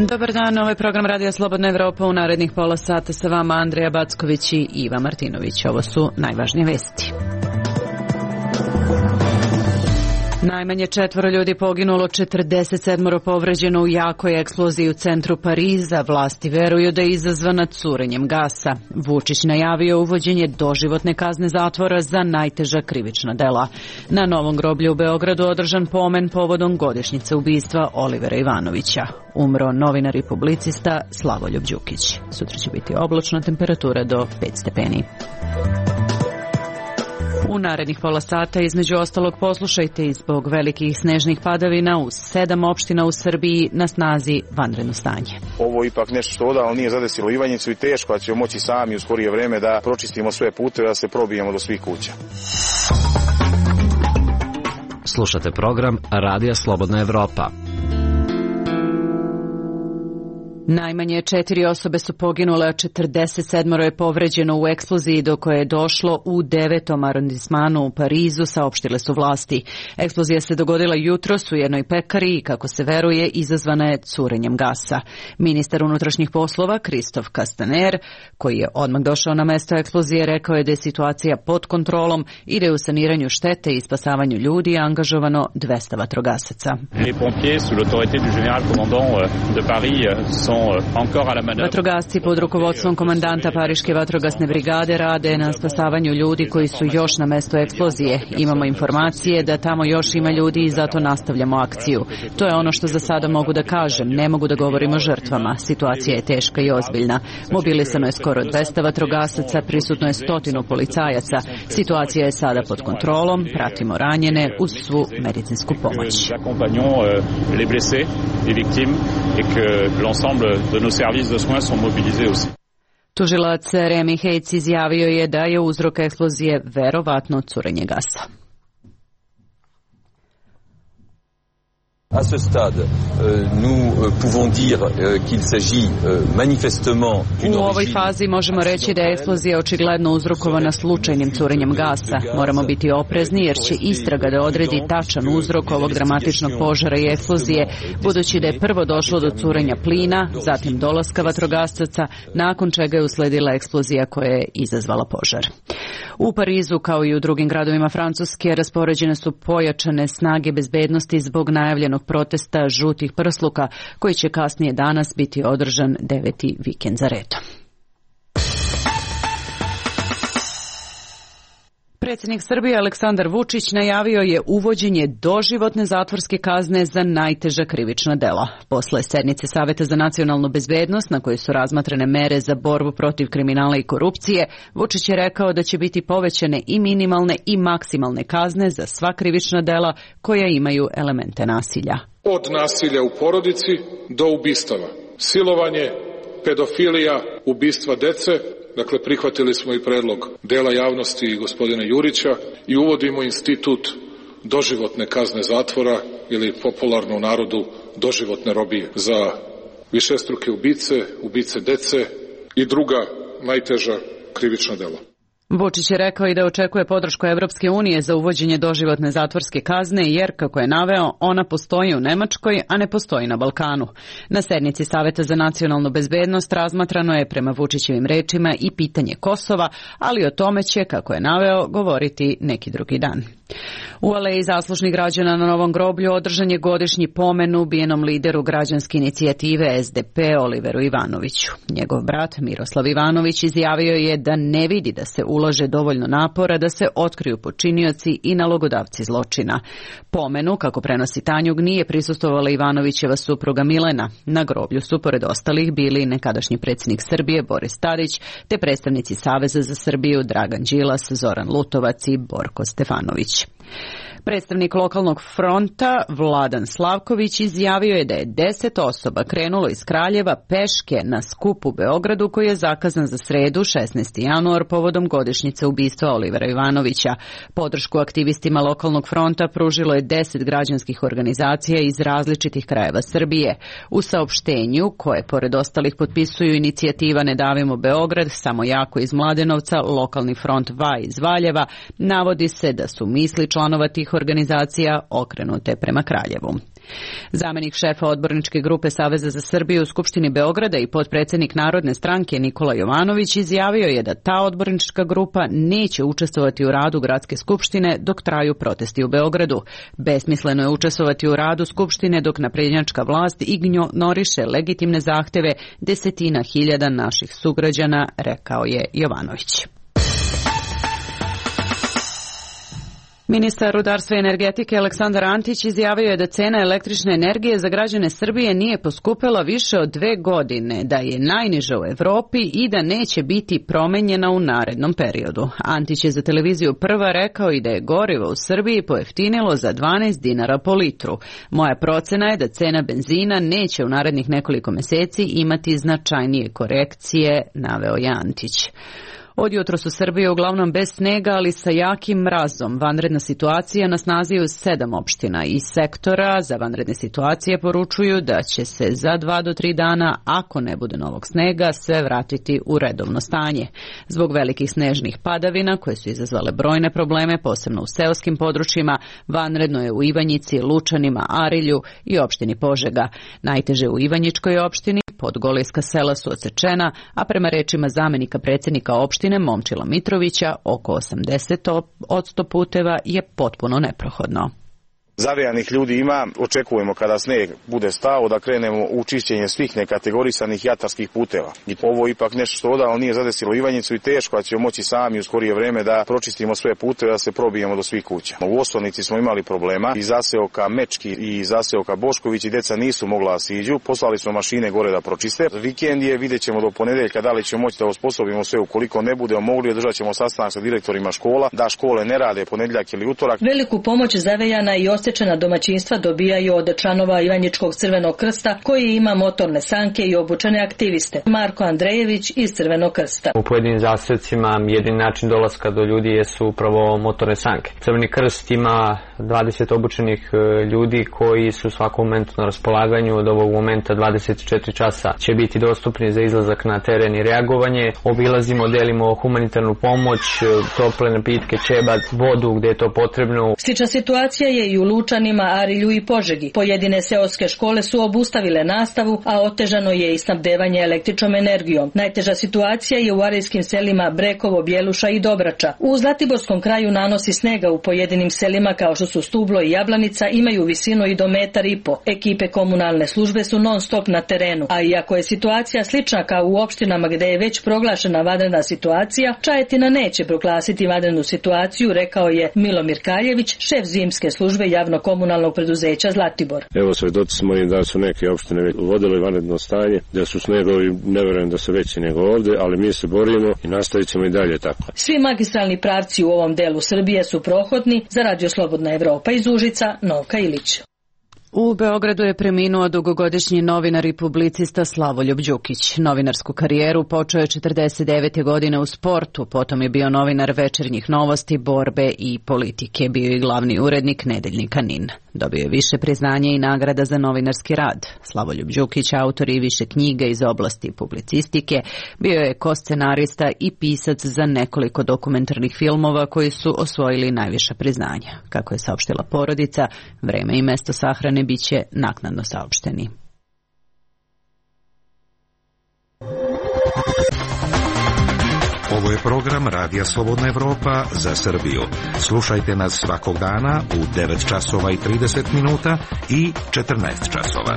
Dobar dan, ovo je program Radija Slobodna Evropa. U narednih pola sata sa vama Andreja Backović i Iva Martinović. Ovo su najvažnije vesti. Najmanje 4 ljudi poginulo, 47 povređeno u jakoj eksploziji u centru Pariza. Vlasti veruju da je izazvana curenjem gasa. Vučić najavio uvođenje doživotne kazne zatvora za najteža krivična dela. Na Novom groblju u Beogradu održan pomen povodom godišnjice ubistva Olivera Ivanovića. Umro novinar i publicista Slavoljub Đukić. Sutra će biti oblačna, temperatura do 5 stepeni. U narednih pola sata između ostalog poslušajte i zbog velikih snežnih padavina u 7 opština u Srbiji na snazi vanredno stanje. Ovo je ipak nešto što odavno nije zadesilo Ivanjicu i teško da ćemo moći sami u skorije vreme da pročistimo sve puteve, da se probijemo do svih kuća. Slušate program Radija Slobodna Evropa. Najmanje 4 osobe su poginule, a 47 je povređeno u eksploziji do koje je došlo u 9. arondismanu u Parizu, saopštile su vlasti. Eksplozija se dogodila jutros u jednoj pekari i, kako se veruje, izazvana je curenjem gasa. Ministar unutrašnjih poslova Kristof Kastaner, koji je odmah došao na mesto eksplozije, rekao je da je situacija pod kontrolom i da je u saniranju štete i spasavanju ljudi angažovano 200 vatrogasaca. Vatrogasci pod rukovodstvom komandanta Pariške vatrogasne brigade rade na spasavanju ljudi koji su još na mestu eksplozije. Imamo informacije da tamo još ima ljudi i zato nastavljamo akciju. To je ono što za sada mogu da kažem. Ne mogu da govorim o žrtvama. Situacija je teška i ozbiljna. Mobilisano je skoro 200 vatrogasaca, prisutno je 100 policajaca. Situacija je sada pod kontrolom, pratimo ranjene uz svu medicinsku pomoć. De nos services de soins sont mobilisés aussi. Tužilac Remi Heitz izjavio je da je uzrok eksplozije verovatno curenje gasa. À ce stade, nous pouvons dire qu'il s'agit manifestement d'une U ovoj fazi možemo reći da je eksplozija očigledno uzrokovana slučajnim curenjem gasa. Moramo biti oprezni jer će istraga da odredi tačan uzrok ovog dramatičnog požara i eksplozije, budući da je prvo došlo do curenja plina, zatim dolaska vatrogasaca, nakon čega je usledila eksplozija koja je izazvala požar. U Parizu, kao i u drugim gradovima Francuske, raspoređene su pojačane snage bezbednosti zbog najavljenog protesta žutih prsluka, koji će kasnije danas biti održan 9. vikend za redom. Predsjednik Srbije Aleksandar Vučić najavio je uvođenje doživotne zatvorske kazne za najteža krivična dela. Posle sednice Saveta za nacionalnu bezbednost, na kojoj su razmatrane mere za borbu protiv kriminala i korupcije, Vučić je rekao da će biti povećane i minimalne i maksimalne kazne za sva krivična dela koja imaju elemente nasilja. Od nasilja u porodici do ubistava, silovanje, pedofilija, ubistva dece. Dakle, prihvatili smo i predlog dela javnosti i gospodina Jurića i uvodimo institut doživotne kazne zatvora ili popularno u narodu doživotne robije za višestruke ubice, ubice dece i druga najteža krivična dela. Vučić je rekao i da očekuje podršku Evropske unije za uvođenje doživotne zatvorske kazne jer, kako je naveo, ona postoji u Nemačkoj, a ne postoji na Balkanu. Na sednici Saveta za nacionalnu bezbednost razmatrano je, prema Vučićevim rečima, i pitanje Kosova, ali o tome će, kako je naveo, govoriti neki drugi dan. U Aleji zaslužnih građana na Novom groblju održan je godišnji pomen ubijenom lideru građanske inicijative SDP Oliveru Ivanoviću. Njegov brat Miroslav Ivanović izjavio je da ne vidi da se ulaže dovoljno napora da se otkriju počinioci i nalogodavci zločina. Pomenu, kako prenosi Tanjug, nije prisustvovala Ivanovićeva supruga Milena. Na groblju su, pored ostalih, bili nekadašnji predsjednik Srbije Boris Tadić, te predstavnici Saveza za Srbiju Dragan Đilas, Zoran Lutovac i Borko Stefanović. Predstavnik lokalnog fronta Vladan Slavković izjavio je da je 10 osoba krenulo iz Kraljeva peške na skup u Beogradu koji je zakazan za sredu 16. januar povodom godišnjice ubistva Olivera Ivanovića. Podršku aktivistima lokalnog fronta pružilo je 10 građanskih organizacija iz različitih krajeva Srbije. U saopštenju, koje pored ostalih potpisuju inicijativa Ne davimo Beograd, Samo jako iz Mladenovca, lokalni front VA iz Valjeva, navodi se da su misli članova tih organizacija okrenute prema Kraljevu. Zamenik šefa odborničke grupe Saveza za Srbiju u Skupštini Beograda i potpredsednik Narodne stranke Nikola Jovanović izjavio je da ta odbornička grupa neće učestvovati u radu Gradske skupštine dok traju protesti u Beogradu. Besmisleno je učestvovati u radu Skupštine dok naprednjačka vlast ignoriše legitimne zahteve desetina hiljada naših sugrađana, rekao je Jovanović. Ministar rudarstva i energetike Aleksandar Antić izjavio je da cena električne energije za građane Srbije nije poskupela više od 2 godine, da je najniža u Evropi i da neće biti promenjena u narednom periodu. Antić je za televiziju Prva rekao i da je gorivo u Srbiji pojeftinilo za 12 dinara po litru. Moja procena je da cena benzina neće u narednih nekoliko meseci imati značajnije korekcije, naveo je Antić. Od jutros u Srbiji uglavnom bez snega, ali sa jakim mrazom. Vanredna situacija na snazi je u 7 opština. Iz sektora za vanredne situacije poručuju da će se za 2 do 3 dana, ako ne bude novog snega, sve vratiti u redovno stanje. Zbog velikih snežnih padavina, koje su izazvale brojne probleme, posebno u seoskim područjima, vanredno je u Ivanjici, Lučanima, Arilju i opštini Požega. Najteže u Ivanjičkoj opštini, podgolijska sela su odsečena, a prema rečima zamenika predsjednika opštine Momčila Mitrovića, oko 80% puteva je potpuno neprohodno. Zavejanih ljudi ima, očekujemo kada sneg bude stao da krenemo u čišćenje svih nekategorisanih jatarskih puteva. I ovo ipak nešto što odavno nije zadesilo Ivanjicu i teško da ćemo moći sami u skorije vreme da pročistimo sve puteve, da se probijemo do svih kuća. U Osovnici smo imali problema, i zaseoka Mečki i zaseoka Bošković i deca nisu mogla da siđu, poslali smo mašine gore da pročiste. Vikend je, vidjet ćemo do ponedeljka da li ćemo moći da osposobimo sve, ukoliko ne budemo mogli, održat ćemo sastanak sa direktorima škola, da škole ne rade ponedeljak ili utorak. Veliku pomoć zavejana i osjećana domaćinstva dobijaju od članova Ivanjičkog Crvenog krsta, koji ima motorne sanke i obučene aktiviste. Marko Andrejević iz Crvenog krsta. U pojedinim zaseocima jedini način dolaska do ljudi jesu upravo motorne sanke. Crveni krst ima 20 obučenih ljudi koji su u svakom momentu na raspolaganju. Od ovog momenta 24 časa će biti dostupni za izlazak na teren i reagovanje. Obilazimo, delimo humanitarnu pomoć, tople napitke, ćebad, vodu gdje je to potrebno. Slična situacija je i u Lučanima, Arilju i Požegi. Pojedine seoske škole su obustavile nastavu, a otežano je i snabdevanje električnom energijom. Najteža situacija je u arilskim selima Brekovo, Bjeluša i Dobrača. U Zlatiborskom kraju nanosi snega u pojedinim selima kao što su Stublo i Jablanica imaju visinu i do 1,5 m. Ekipe komunalne službe su non stop na terenu, a iako je situacija slična kao u opštinama gde je već proglašena vanredna situacija, Čajetina neće proglasiti vanrednu situaciju, rekao je Milomir Kaljević, šef zimske službe javno-komunalnog preduzeća Zlatibor. Evo, svedoci smo i da su neke opštine već uvodile vanredno stanje, da su snegovi, ne verujem da su veći nego ovde, ali mi se borimo i nastavit ćemo i dalje tako. Svi magistralni pravci u ovom delu Srbije su prohodni. Za Radio Slobodna Evropa iz Užica, Novka Ilić. U Beogradu je preminuo dugogodišnji novinar i publicista Slavoljub Đukić. Novinarsku karijeru počeo je 49. godine u sportu, potom je bio novinar Večernjih novosti, Borbe i politike. Bio je glavni urednik nedeljnika NIN. Dobio je više priznanja i nagrada za novinarski rad. Slavoljub Đukić, autor i više knjiga iz oblasti publicistike, bio je koscenarista i pisac za nekoliko dokumentarnih filmova koji su osvojili najviša priznanja. Kako je saopštila porodica, vreme i mesto sahrane biće naknadno saopšteni. Ovo je program Radija Slobodna Evropa za Srbiju. Slušajte nas svakog dana u 9 časova i 30 minuta i 14 časova.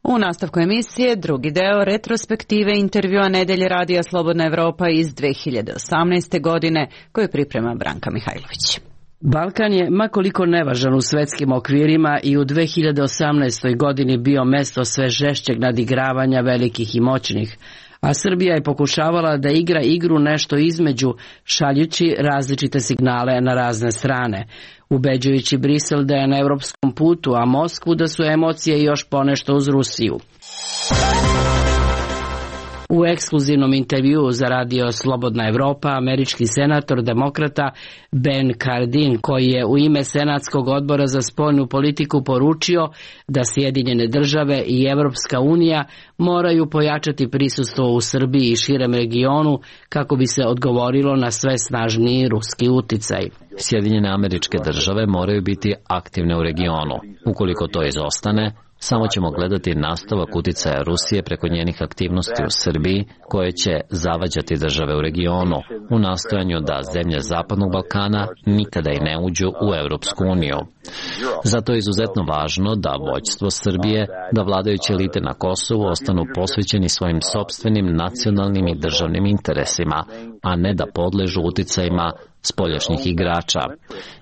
U nastavku emisije drugi deo retrospektive intervjua nedelje Radija Slobodna Evropa iz 2018. godine koju priprema Branka Mihajlović. Balkan je, makoliko nevažan u svetskim okvirima, i u 2018. godini bio mesto sve žešćeg nadigravanja velikih i moćnih, a Srbija je pokušavala da igra igru nešto između, šaljući različite signale na razne strane, ubeđujući Brisel da je na evropskom putu, a Moskvu da su emocije još ponešto uz Rusiju. U ekskluzivnom intervjuu za radio Slobodna Evropa, američki senator demokrata Ben Cardin, koji je u ime Senatskog odbora za spoljnu politiku poručio da Sjedinjene države i Evropska unija moraju pojačati prisustvo u Srbiji i širem regionu kako bi se odgovorilo na sve snažniji ruski uticaj. Sjedinjene Američke Države moraju biti aktivne u regionu. Ukoliko to izostane, samo ćemo gledati nastavak uticaja Rusije preko njenih aktivnosti u Srbiji, koje će zavađati države u regionu, u nastojanju da zemlje Zapadnog Balkana nikada i ne uđu u Evropsku uniju. Zato je izuzetno važno da vođstvo Srbije, da vladajuće elite na Kosovu ostanu posvećeni svojim sopstvenim nacionalnim i državnim interesima, a ne da podležu uticajima spoljašnjih igrača.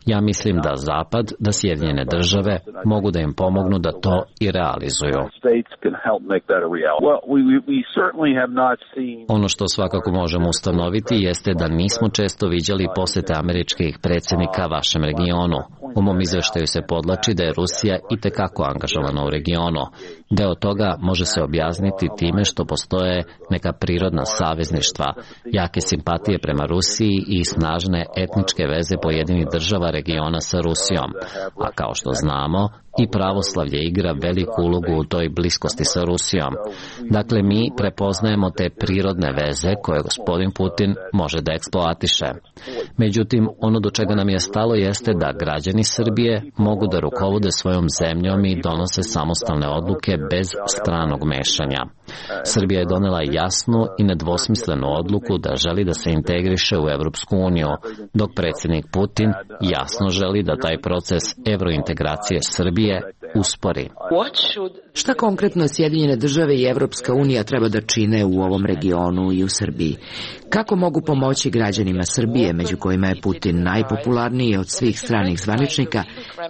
Ja mislim da Zapad, da Sjedinjene države mogu da im pomognu da to i realizuju. Ono što svakako možemo ustanoviti jeste da nismo često viđali posete američkih predsjednika vašem regionu. U mom izveštaju se podlači da je Rusija itekako angažovana u regionu. Deo toga može se objasniti time što postoje neka prirodna savezništva, jake simpatije prema Rusiji i snažne etničke veze pojedinih država regiona sa Rusijom. A kao što znamo, i pravoslavlje igra veliku ulogu u toj bliskosti sa Rusijom. Dakle, mi prepoznajemo te prirodne veze koje gospodin Putin može da eksploatiše. Međutim, ono do čega nam je stalo jeste da građani Srbije mogu da rukovode svojom zemljom i donose samostalne odluke bez stranog mešanja. Srbija je donela jasnu i nedvosmislenu odluku da želi da se integriše u Evropsku uniju, dok predsjednik Putin jasno želi da taj proces evrointegracije Srbije uspori. Šta konkretno Sjedinjene države i Evropska unija treba da čine u ovom regionu i u Srbiji? Kako mogu pomoći građanima Srbije, među kojima je Putin najpopularniji od svih stranih zvaničnika,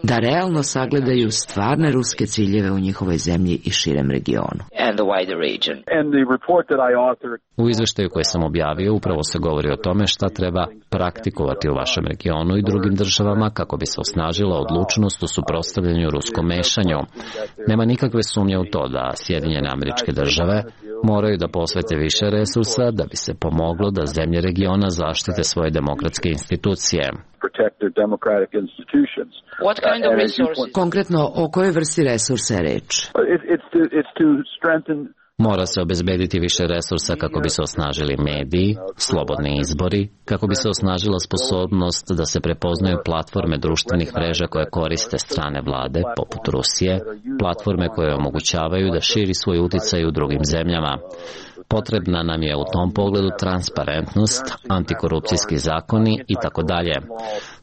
da realno sagledaju stvarne ruske ciljeve u njihovoj zemlji i širem regionu? U izveštaju koji sam objavio upravo se govori o tome šta treba praktikovati u vašem regionu i drugim državama kako bi se osnažila odlučnost u suprotstavljanju ruskom mešanju. Nema nikakve sumnje u to da Sjedinjene Američke Države moraju da posvete više resursa da bi se pomoglo da zemlje regiona zaštite svoje demokratske institucije. Konkretno, o kojoj vrsti resursa je reč? Mora se obezbediti više resursa kako bi se osnažili mediji, slobodni izbori, kako bi se osnažila sposobnost da se prepoznaju platforme društvenih mreža koje koriste strane vlade, poput Rusije, platforme koje omogućavaju da širi svoj uticaj u drugim zemljama. Potrebna nam je u tom pogledu transparentnost, antikorupcijski zakoni i tako dalje.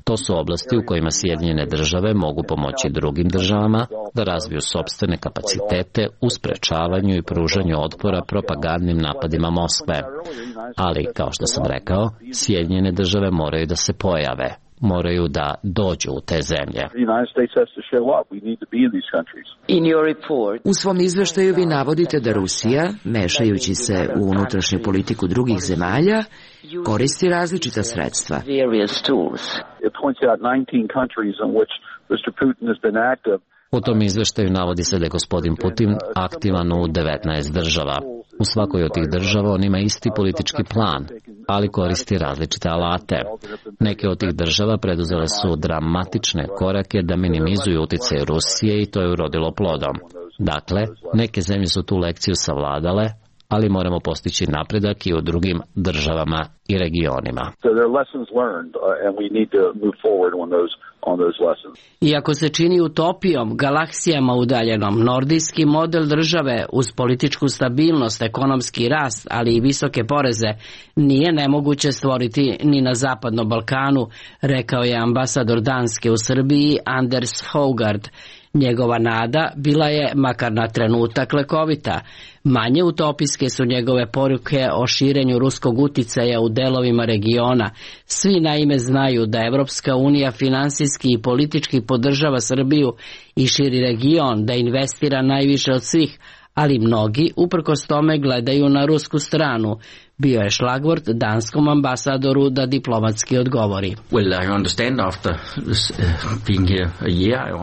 To su oblasti u kojima Sjedinjene države mogu pomoći drugim državama da razviju sopstvene kapacitete u sprečavanju i pružanju otpora propagandnim napadima Moskve. Ali, kao što sam rekao, Sjedinjene države moraju da se pojave, moraju da dođu u te zemlje. U svom izveštaju vi navodite da Rusija, mešajući se u unutrašnju politiku drugih zemalja, koristi različita sredstva. U tom izveštaju navodi se da je gospodin Putin aktivan u 19 država. U svakoj od tih država on ima isti politički plan, ali koristi različite alate. Neke od tih država preduzele su dramatične korake da minimizuju uticaj Rusije i to je urodilo plodom. Dakle, neke zemlje su tu lekciju savladale, ali moramo postići napredak i u drugim državama i regionima. Iako se čini utopijom, galaksijama udaljenom, nordijski model države uz političku stabilnost, ekonomski rast, ali i visoke poreze, nije nemoguće stvoriti ni na Zapadnom Balkanu, rekao je ambasador Danske u Srbiji Anders Hogard. Njegova nada bila je, makar na trenutak, lekovita. Manje utopijske su njegove poruke o širenju ruskog uticaja u delovima regiona. Svi naime znaju da Evropska unija finansijski i politički podržava Srbiju i širi region, da investira najviše od svih, ali mnogi uprkos tome gledaju na rusku stranu. Bio je šlagvort danskom ambasadoru da diplomatski odgovori.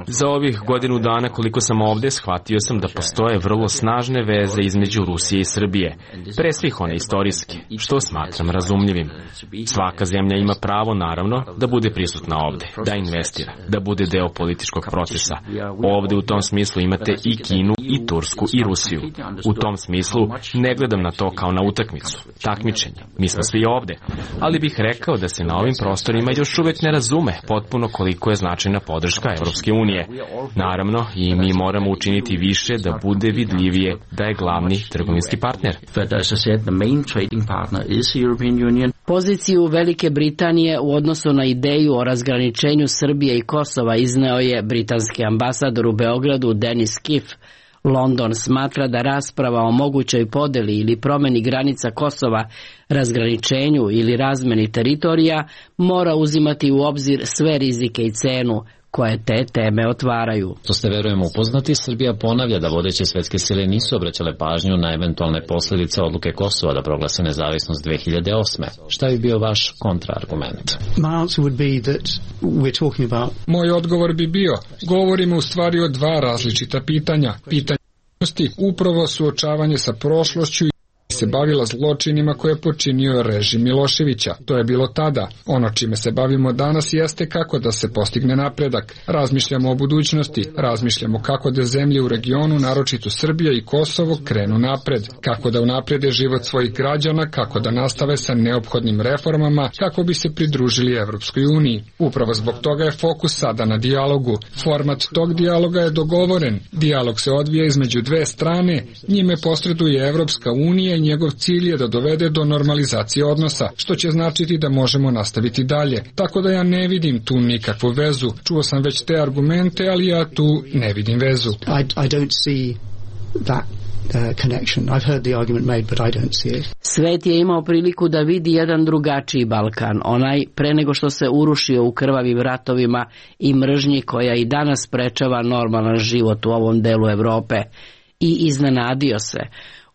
Za ovih godinu dana koliko sam ovde, shvatio sam da postoje vrlo snažne veze između Rusije i Srbije, pre svih one istorijske, što smatram razumljivim. Svaka zemlja ima pravo, naravno, da bude prisutna ovde, da investira, da bude deo političkog procesa. Ovde u tom smislu imate i Kinu, i Tursku, i Rusiju. U tom smislu ne gledam na to kao na utakmicu, takmičenje. Mi smo svi ovde, ali bih rekao da se na ovim prostorima još uvek ne razume potpuno koliko je značajna podrška Evropske unije. Naravno, i mi moramo učiniti više da bude vidljivije da je glavni trgovinski partner. Poziciju Velike Britanije u odnosu na ideju o razgraničenju Srbije i Kosova izneo je britanski ambasador u Beogradu Denis Kiff. London smatra da rasprava o mogućoj podeli ili promeni granica Kosova, razgraničenju ili razmeni teritorija mora uzimati u obzir sve rizike i cenu koje te teme otvaraju. Što ste, verujem, upoznati, Srbija ponavlja da vodeće svetske sile nisu obraćale pažnju na eventualne posljedice odluke Kosova da proglase nezavisnost 2008. Šta bi bio vaš kontraargument? Moj odgovor bi bio, govorimo u stvari o dva različita pitanja. Pitanje upravo suočavanje sa prošlošću se bavila zločinima koje je počinio režim Miloševića. To je bilo tada. Ono čime se bavimo danas jeste kako da se postigne napredak. Razmišljamo o budućnosti, razmišljamo kako da zemlje u regionu, naročito Srbija i Kosovo, krenu napred, kako da unaprede život svojih građana, kako da nastave sa neophodnim reformama, kako bi se pridružili Evropskoj uniji. Upravo zbog toga je fokus sada na dijalogu. Format tog dijaloga je dogovoren. Dijalog se odvija između dve strane, njime posreduje Evropska unija i njegov cilj je da dovede do normalizacije odnosa, što će značiti da možemo nastaviti dalje. Tako da ja ne vidim tu nikakvu vezu. Čuo sam već te argumente, ali ja tu ne vidim vezu. I don't see that connection. I've heard the argument made, but I don't see it. Svet je imao priliku da vidi jedan drugačiji Balkan, onaj pre nego što se urušio u krvavim ratovima i mržnji koja i danas sprečava normalan život u ovom delu Evrope. I iznenadio se.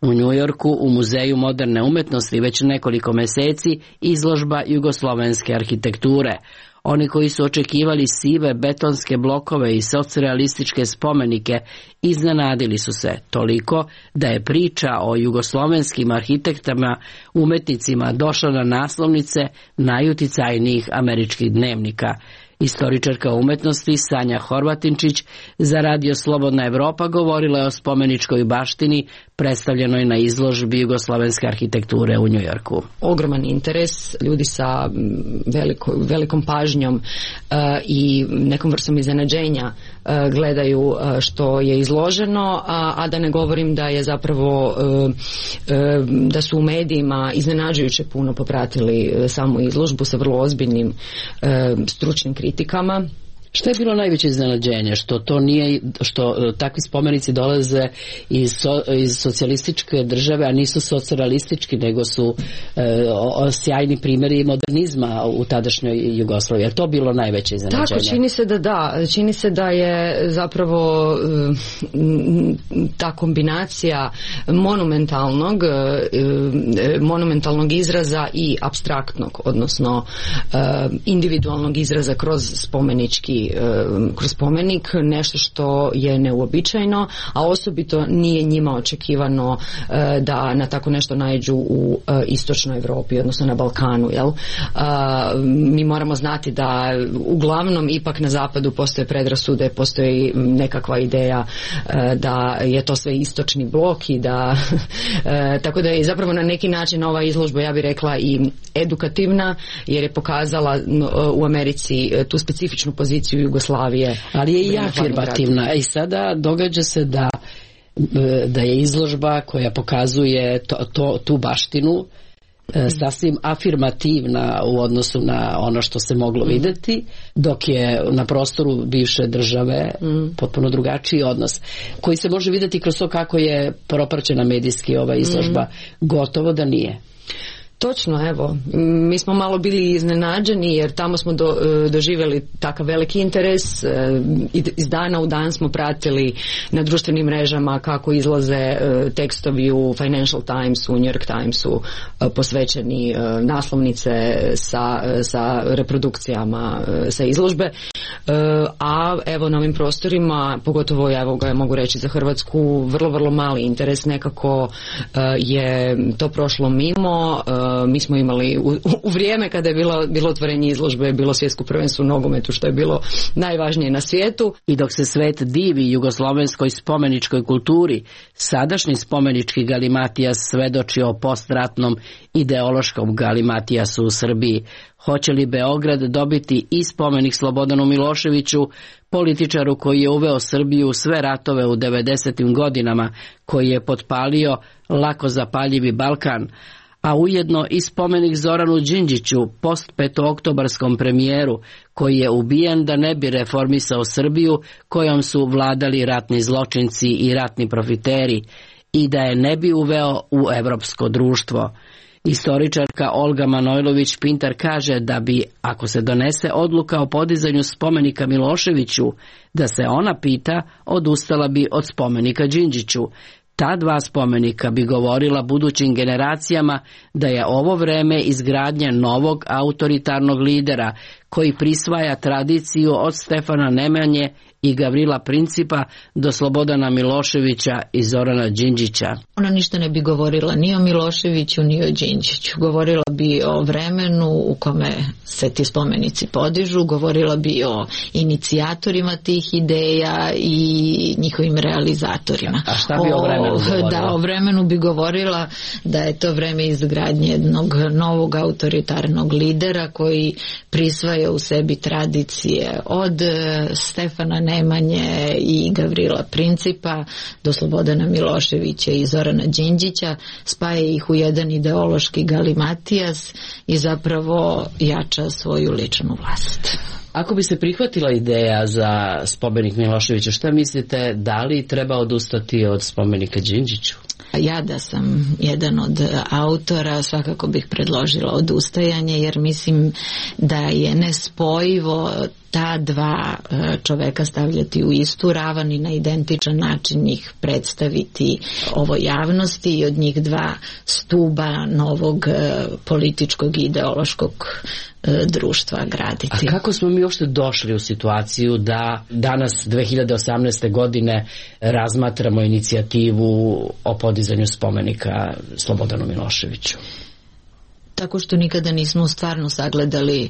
U Njujorku, u Muzeju moderne umetnosti, već nekoliko meseci izložba jugoslovenske arhitekture. Oni koji su očekivali sive betonske blokove i socrealističke spomenike iznenadili su se toliko da je priča o jugoslovenskim arhitektama, umetnicima došla na naslovnice najuticajnijih američkih dnevnika. Istoričarka umetnosti Sanja Horvatinčić za Radio Slobodna Evropa govorila je o spomeničkoj baštini predstavljenoj na izložbi jugoslovenske arhitekture u Njujorku. Ogroman interes, ljudi sa velikom pažnjom i nekom vrstom iznenađenja gledaju što je izloženo, a da ne govorim da je zapravo da su u medijima iznenađujuće puno popratili samu izložbu sa vrlo ozbiljnim stručnim kritikama. Što je bilo najveće iznenađenje? Što to nije, što takvi spomenici dolaze iz socijalističke države, a nisu socijalistički, nego su sjajni primjeri modernizma u tadašnjoj Jugoslaviji. Je to bilo najveće iznenađenje? Tako, čini se da da. Čini se da je zapravo ta kombinacija monumentalnog izraza i apstraktnog, odnosno individualnog izraza kroz spomenik, nešto što je neuobičajeno, a osobito nije njima očekivano da na tako nešto naiđu u istočnoj Evropi, odnosno na Balkanu. Jel? Mi moramo znati da uglavnom ipak na zapadu postoje predrasude, postoji nekakva ideja da je to sve istočni blok i da tako da je zapravo na neki način ova izložba, ja bih rekla, i edukativna, jer je pokazala u Americi tu specifičnu poziciju Jugoslavije. Ali je i afirmativna. I sada događa se da je izložba koja pokazuje tu baštinu sasvim afirmativna u odnosu na ono što se moglo videti, dok je na prostoru bivše države potpuno drugačiji odnos, koji se može videti kroz to kako je propraćena medijski ova izložba. Gotovo da nije. Točno, evo, mi smo malo bili iznenađeni jer tamo smo doživjeli takav veliki interes, iz dana u dan smo pratili na društvenim mrežama kako izlaze tekstovi u Financial Timesu, u New York Timesu posvećeni naslovnice sa reprodukcijama sa izložbe, a evo na ovim prostorima, pogotovo evo ga mogu reći za Hrvatsku, vrlo, vrlo mali interes, nekako je to prošlo mimo. Mi smo imali u vrijeme kada je bilo otvorenje izložbe, bilo svjetsko prvenstvo u nogometu, što je bilo najvažnije na svijetu. I dok se svet divi jugoslovenskoj spomeničkoj kulturi, sadašnji spomenički galimatijas svedoči o postratnom ideološkom galimatijasu u Srbiji. Hoće li Beograd dobiti i spomenik Slobodanu Miloševiću, političaru koji je uveo Srbiju u sve ratove u 90. godinama, koji je potpalio lako zapaljivi Balkan, a ujedno i spomenik Zoranu Đinđiću, post-petooktobarskom premijeru, koji je ubijen da ne bi reformisao Srbiju kojom su vladali ratni zločinci i ratni profiteri i da je ne bi uveo u evropsko društvo. Istoričarka Olga Manojlović-Pintar kaže da bi, ako se donese odluka o podizanju spomenika Miloševiću, da se ona pita, odustala bi od spomenika Đinđiću. Ta dva spomenika bi govorila budućim generacijama da je ovo vreme izgradnje novog autoritarnog lidera koji prisvaja tradiciju od Stefana Nemanje i Gavrila Principa do Slobodana Miloševića i Zorana Đinđića. Ona ništa ne bi govorila ni o Miloševiću ni o Đinđiću. Govorila bi o vremenu u kome se ti spomenici podižu, govorila bi o inicijatorima tih ideja i njihovim realizatorima. A šta bi o vremenu govorila? Da, o vremenu bi govorila da je to vreme izgradnje jednog novog autoritarnog lidera koji prisvaja u sebi tradicije od Stefana Nemanje i Gavrila Principa do Slobodana Miloševića i Zorana Đinđića, spaja ih u jedan ideološki galimatijas i zapravo jača svoju ličnu vlast. Ako bi se prihvatila ideja za spomenik Miloševiću, šta mislite, da li treba odustati od spomenika Đinđiću? Ja da sam jedan od autora svakako bih predložila odustajanje, jer mislim da je nespojivo ta dva čoveka stavljati u istu ravan i na identičan način ih predstaviti ovoj javnosti i od njih dva stuba novog političkog i ideološkog društva graditi. A kako smo mi uopšte došli u situaciju da danas 2018. godine razmatramo inicijativu o podizanju spomenika Slobodanu Miloševiću? Tako što nikada nismo stvarno sagledali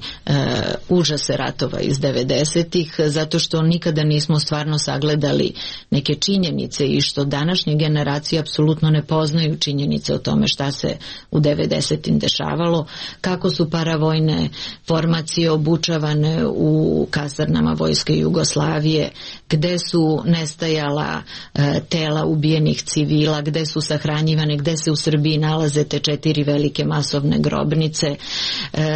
užase ratova iz 90-ih, zato što nikada nismo stvarno sagledali neke činjenice i što današnje generacije apsolutno ne poznaju činjenice o tome šta se u 90-im dešavalo, kako su paravojne formacije obučavane u kasarnama Vojske Jugoslavije, gde su nestajala tela ubijenih civila, gde su sahranjivane, gde se u Srbiji nalaze te 4 velike masovne grobnice.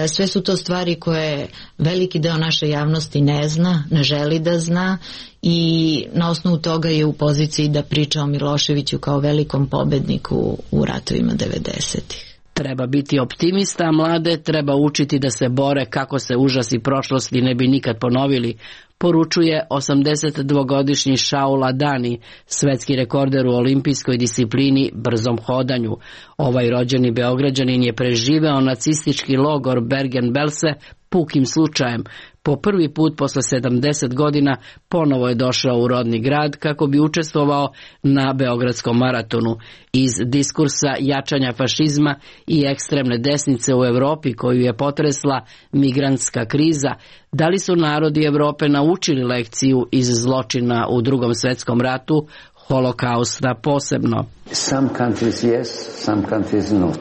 Sve su to stvari koje veliki deo naše javnosti ne zna, ne želi da zna i na osnovu toga je u poziciji da priča o Miloševiću kao velikom pobedniku u ratovima 90-ih. Treba biti optimista, a mlade treba učiti da se bore kako se užasi prošlosti ne bi nikad ponovili, poručuje 82-godišnji Šaul Adani, svetski rekorder u olimpijskoj disciplini brzom hodanju. Ovaj rođeni Beograđanin je preživeo nacistički logor Bergen-Belsen pukim slučajem. Po prvi put posle 70 godina ponovo je došao u rodni grad kako bi učestvovao na Beogradskom maratonu. Iz diskursa jačanja fašizma i ekstremne desnice u Evropi koju je potresla migrantska kriza, da li su narodi Evrope naučili lekciju iz zločina u Drugom svetskom ratu, Holokausta posebno? Some countries yes, some countries not.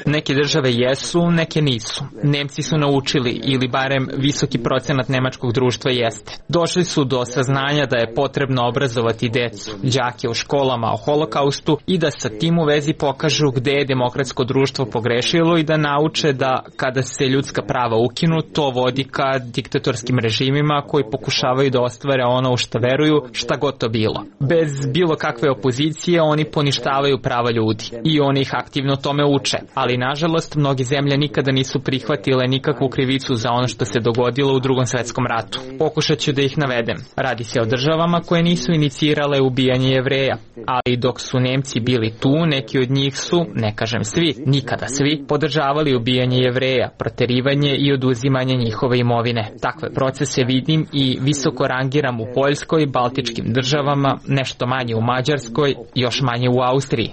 Neke države jesu, neke nisu. Nemci su naučili, ili barem visoki procenat nemačkog društva jeste. Došli su do saznanja da je potrebno obrazovati decu, đake u školama o Holokaustu i da sa tim u vezi pokažu gde je demokratsko društvo pogrešilo i da nauče da kada se ljudska prava ukinu, to vodi ka diktatorskim režimima koji pokušavaju da ostvare ono u šta veruju, šta god to bilo. Bez bilo kakve opozicije oni poništavaju prava ljudi i oni ih aktivno tome uče, ali ali nažalost mnogi zemlje nikada nisu prihvatile nikakvu krivicu za ono što se dogodilo u Drugom svetskom ratu. Pokušat ću da ih navedem. Radi se o državama koje nisu inicirale ubijanje Jevreja, ali dok su Nemci bili tu, neki od njih su, ne kažem svi, nikada svi, podržavali ubijanje Jevreja, proterivanje i oduzimanje njihove imovine. Takve procese vidim i visoko rangiram u Poljskoj, Baltičkim državama, nešto manje u Mađarskoj, još manje u Austriji.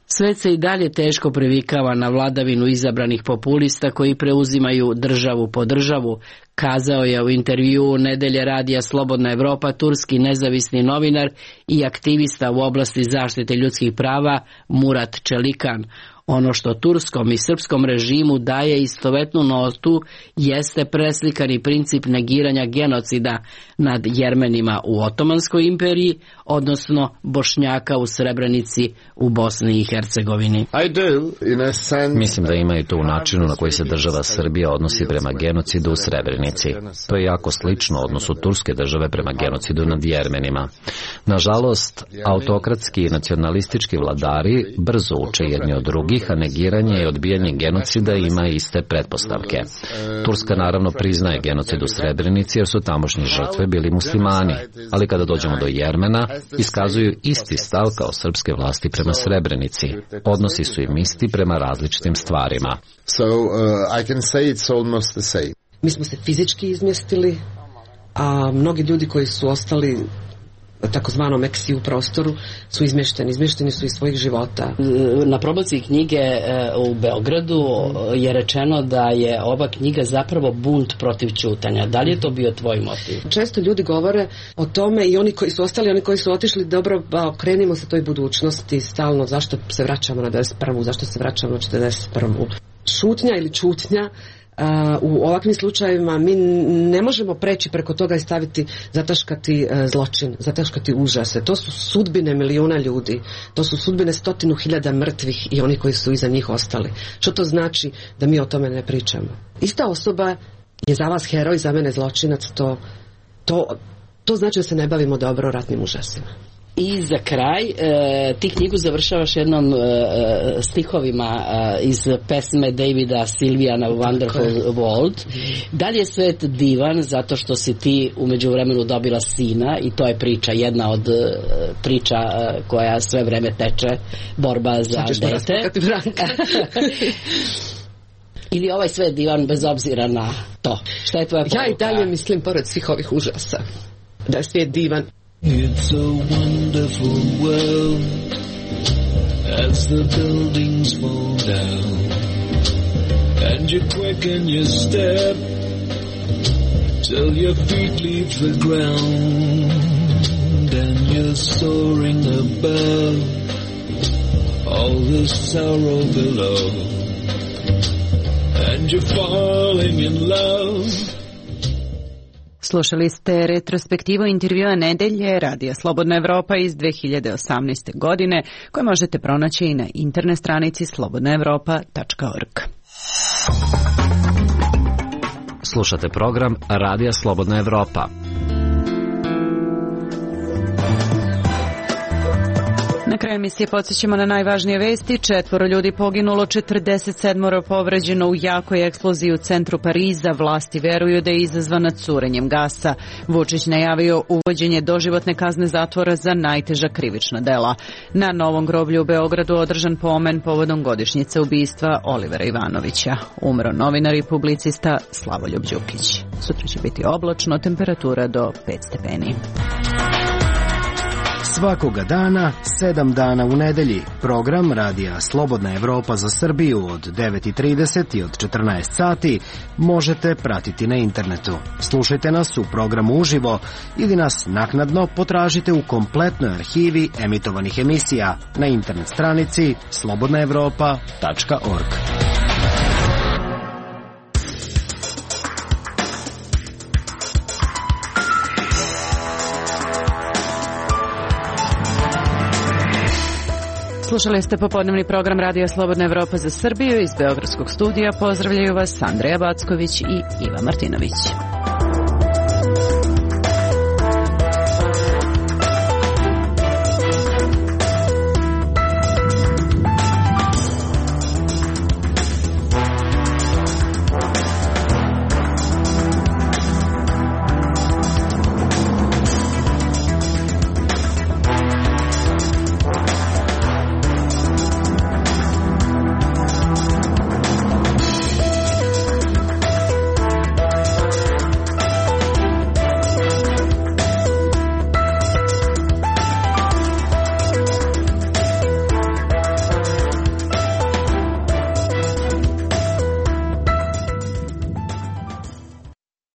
Svet se i dalje teško privikava na vladavinu izabranih populista koji preuzimaju državu po državu, kazao je u intervjuu Nedelje radija Slobodna Evropa turski nezavisni novinar i aktivista u oblasti zaštite ljudskih prava Murat Čelikan. Ono što turskom i srpskom režimu daje istovetnu notu jeste preslikani princip negiranja genocida nad Jermenima u Otomanskoj imperiji, odnosno Bošnjaka u Srebrenici u Bosni i Hercegovini. Mislim da ima i to u načinu na koji se država Srbija odnosi prema genocidu u Srebrenici. To je jako slično odnosu turske države prema genocidu nad Jermenima. Nažalost, autokratski i nacionalistički vladari brzo uče jedni od drugih, a negiranje i odbijanje genocida ima iste pretpostavke. Turska naravno priznaje genocid u Srebrenici jer su tamošnji žrtve bili muslimani, ali kada dođemo do Jermena, iskazuju isti stav kao srpske vlasti prema Srebrenici. Odnosi su im isti prema različitim stvarima. Mi smo se fizički izmjestili, a mnogi ljudi koji su ostali takozvanom eksiju prostoru su izmješteni su iz svojih života. Na promociji knjige u Beogradu je rečeno da je ova knjiga zapravo bunt protiv ćutanja. Da li je to bio tvoj motiv? Često ljudi govore o tome i oni koji su ostali, oni koji su otišli, dobro, okrenimo se toj budućnosti stalno, zašto se vraćamo na 91. zašto se vraćamo na 41. Šutnja ili čutnja u ovakvim slučajevima mi ne možemo preći preko toga i staviti, zataškati zločin, zataškati užase. To su sudbine miliona ljudi, to su sudbine 100.000 mrtvih i oni koji su iza njih ostali. Što to znači da mi o tome ne pričamo? Ista osoba je za vas heroj, za mene zločinac, to znači da se ne bavimo dobro ratnim užasima. I za kraj, ti knjigu završavaš jednom stihovima iz pesme Davida Silvijana Wonderful World. Da li je svet divan zato što si ti u međuvremenu dobila sina i to je priča, jedna od priča koja sve vreme teče, borba za dete. Ili ovaj svet divan bez obzira na to? Šta je tvoja poruka? Ja i dalje mislim, pored svih ovih užasa, da je svijet divan. It's a wonderful world as the buildings fall down and you quicken your step till your feet leave the ground and you're soaring above all the sorrow below and you're falling in love. Slušali ste retrospektivu intervjua Nedelje Radija Slobodna Evropa iz 2018. godine koje možete pronaći i na internet stranici slobodnaevropa.org. Slušate program Radija Slobodna Evropa. Na kraju emisije podsjećamo na najvažnije vesti. 4 ljudi poginulo, 47 povređeno u jakoj eksploziji u centru Pariza. Vlasti veruju da je izazvana curenjem gasa. Vučić najavio uvođenje doživotne kazne zatvora za najteža krivična dela. Na Novom groblju u Beogradu održan pomen povodom godišnjice ubistva Olivera Ivanovića. Umro novinar i publicista Slavoljub Đukić. Sutra će biti oblačno, temperatura do 5 stepeni. Svakoga dana, 7 dana u nedelji. Program Radija Slobodna Evropa za Srbiju od 9:30 i od 14 sati možete pratiti na internetu. Slušajte nas u programu uživo ili nas naknadno potražite u kompletnoj arhivi emitovanih emisija na internet stranici slobodnaevropa.org. Slušali ste popodnevni program Radija Slobodna Evropa za Srbiju. Iz beogradskog studija pozdravljaju vas Andreja Backović i Iva Martinović.